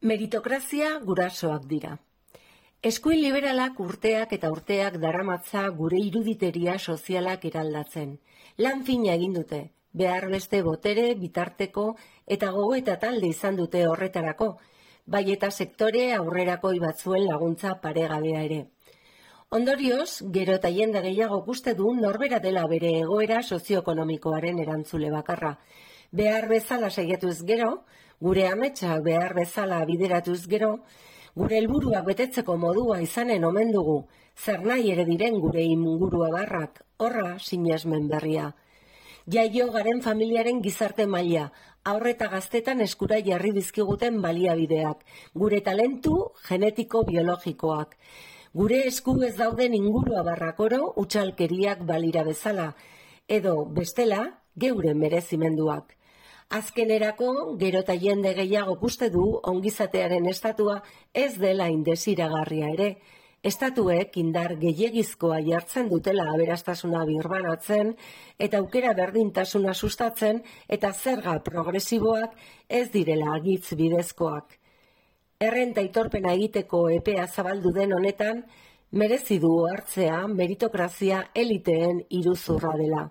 Meritokrazia gurasoak dira. Eskuin liberalak urteak eta urteak daramatza gure iruditeria sozialak eraldatzen. Lan fina egin dute, behar beste botere, bitarteko eta gogoeta talde izan dute horretarako, bai eta sektore aurrerakoi batzuen laguntza paregabea ere. Ondorioz, gero eta jende gehiago uste du norbera dela bere egoera sozioekonomikoaren erantzule bakarra. Behar bezala saiatuz gero, gure ametsak behar bezala bideratuz gero, gure helburuak betetzeko modua izanen omen dugu, zer nahi ere diren gure ingurua barrak, horra sinesmen berria. Jaio garen familiaren gizarte maila, haur eta gaztetan eskura jarri dizkiguten baliabideak, gure talentu genetiko biologikoak. Gure esku ez dauden ingurua barrak oro utxalkeriak balira bezala, edo bestela geure merezimenduak. Azkenerako, gero eta jende gehiago uste du ongizatearen estatua ez dela indesiragarria ere. Estatuek indar gehiegizkoa jartzen dutela aberastasuna birbanatzen eta aukera berdintasuna sustatzen eta zerga progresiboak ez direla agitz bidezkoak. Errenta aitorpena egiteko epea zabaldu den honetan, merezi du hartzea meritokrazia eliteen iruzurra dela.